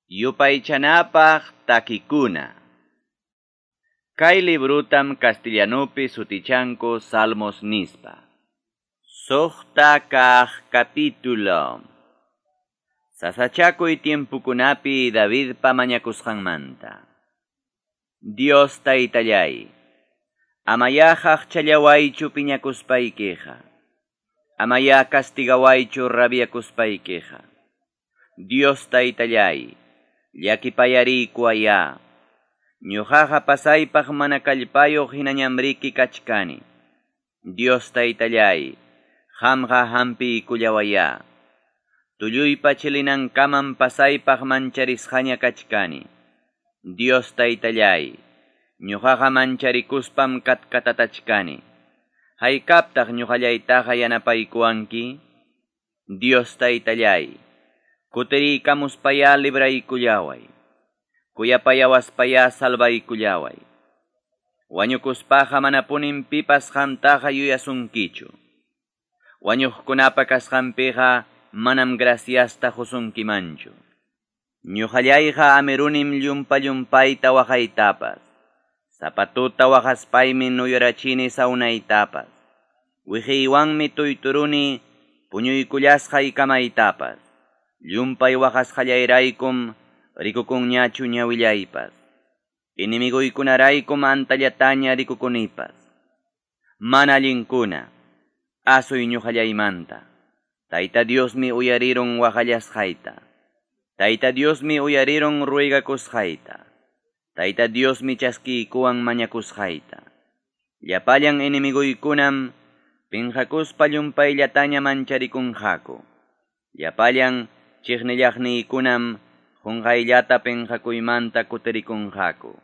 Yupaychanapaq takikuna. Kay librutam castellanupi sutichanku Salmos nispa. Suqta kaq capítulo. Sasachakuy tiempukunapi Davidpa mañakusqanmanta. Dios taytallay, amaya qaqchallawaychu piñakuspaykiqa. Amaya castigawaychu rabiakuspaykiqa. Dios taytallay, llakipayariykuwaya. Ñuqaqa pasaypaq mana kallpayuq hinañamriki kachkani. Dios taytallay, qamqa hampiykullawaya. Tulluypa chilinankamam pasaypaq mancharisqaña kachkani. Dios taytallay, ñuqaqa mancharikuspam katkatatachkani. Haykaptaq ñuqallaytaqa yanapaykuwanki? Dios taytallay, kutiriykamuspaya libraykullaway. Kuyapayawaspaya salvaykullaway. Wañukuspaqa manapunin pipas qamtaqa yuyasunkichu. Wañuqkunapa kasqanpiqa manam graciasta qusunkimanchu. Ñuqallayqa amirunim llumpa-llumpayta waqaytapas. Sapa tuta waqaspaymi nuyurachini sawnaytapas. Wiqiywanmi tuyturuni puñuykullasqay kamaytapas. Llumpay waqasqallayraykum rikukunñachu ñawillaypas. Enemiguykunaraykum antallataña rikukunipas. Mana allinkuna, asuy ñuqallaymanta. Tayta Diosmi uyarirun waqallasqayta. Tayta Diosmi uyarirun ruegakusqayta. Tayta Diosmi chaskiykuwan mañakusqayta. Llapallan enemiguykunam pinqakuspa llumpayllataña mancharikunqaku. Llapallan chiqnillaqniykunam qunqayllata pinqakuymanta kutirikunqaku.